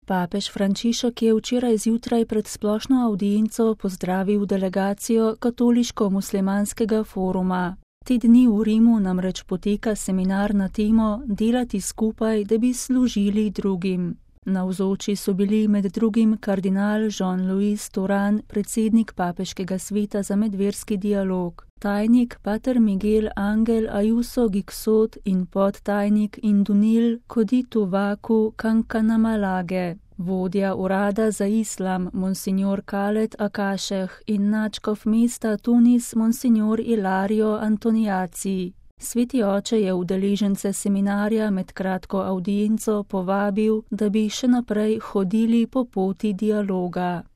Papež Frančišek je včeraj zjutraj pred splošno avdienco pozdravil delegacijo Katoliško-muslimanskega foruma. Te dni v Rimu namreč poteka seminar na temo Delati skupaj, da bi služili drugim. Navzoči so bili med drugim kardinal Jean-Louis Touran, predsednik Papeškega sveta za medverski dialog, tajnik pater Miguel Angel Ayuso Gixot in podtajnik Indunil Kodituvaku Kankanamalage, vodja urada za islam monsignor Khaled Akasheh in nadškof mesta Tunis monsignor Ilario Antoniaci. Sveti oče je udeležence seminarja med kratko avdienco povabil, da bi še naprej hodili po poti dialoga.